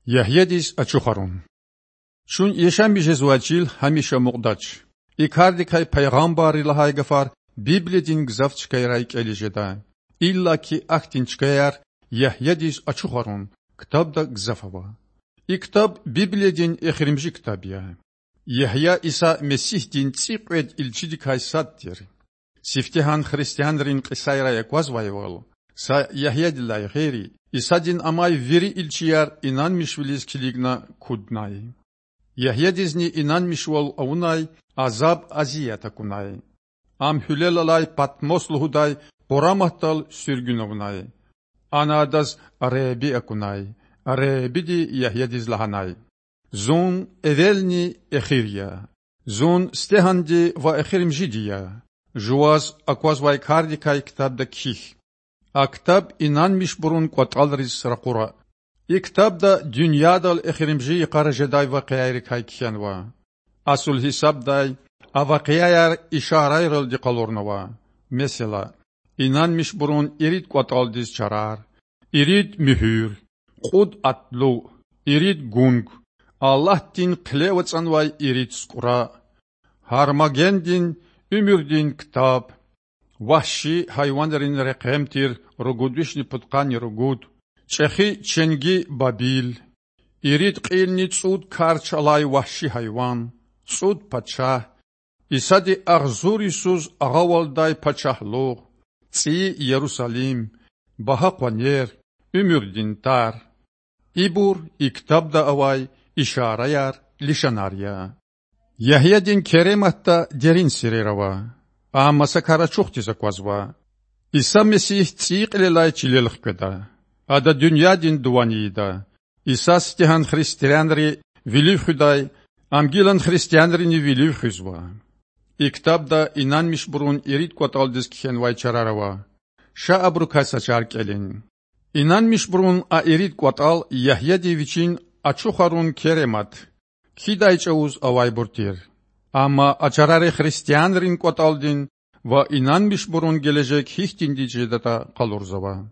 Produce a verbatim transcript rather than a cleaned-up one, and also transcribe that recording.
Ягьядиз ачухарун. Чун яшамиш жезвай чил гьамиша амукьдач. И кардикай пайгъамбарри лагьай гафар Библиядин гзаф чкайрай кІелиз жеда. Иллаки ахьтин чкаяр Ягьядиз ачухарун ктабда гзаф ава. И ктаб Библиядин эхиримжи ктаб я. Ягья Иса Месигьдин цІикьвед илчидикай сад тир. Сифтегьан христианрин кьисайрай аквазвайвал, са Ягьядилай гъейри, Исадин амай вири илчияр инанмишвилиз килигна куднай. Ягьядизни инанмишвал авунай, азаб-азият акунай. Ам гьуьлел алай Патмос лугьудай къураматдал суьргуьн авунай. Ана адаз Худа акунай. Худади Ягьядиз лагьанай: Зун эвелни эхир я. Зун сифтегьанди ва эхиримжиди я. Жуваз аквазвай кардикай ктабда кхьихь. А ктаб инанмишбурун кІватІалриз ракъура. И ктабда дуьньядал эхиримжи йикъара жедай вакъиайрикай кхьенва. Асул гьисабдай, а вакъиаяр ишарайралди къалурнава. Месела, инанмишбурун ирид кІватІалдиз чарар, ирид муьгьуьр, кьуд атлу, ирид гунг, Аллагьдин хъилев ацІанвай ирид сукІра, Гьармагеддин, уьмуьрдин ктаб, вагьши гьайванрин рекьем тир ругуд вишни пудкъанни ругуд, чІехи ченги Бабил, ирид кьилни цІуд карч алай вагьши гьайван, цІуд пачагь, Исади агъзур йисуз агъавалдай пачагьлугъ, цІийи Ярусалим, багьа къванер, уьмуьрдин тар. Ибур и ктабда авай ишараяр, лишанар я. Ягьядин керематда дерин сирер ава, амма са кар ачухдиз аквазва: Иса Месигь цІийи кьилелай чилел хкведа. Ада дуьньядин дуван ийида. Иса сифтегьан христианри вилив хуьдай, ам гилан христианрини вилив хуьзва. И ктабда инанмишбурун ирид кІватІалдиз кхьенвай чарар ава. Ша абурукай са чар кІелин. Инанмишбурун а ирид кІватІал Ягьяди вичин ачухарун керемат кхьидай чІавуз авайбур тир. Амма а чарари христианрин кІватІалдин ва инанмишбурун гележег гьихьтинди жедатІа къалурзава.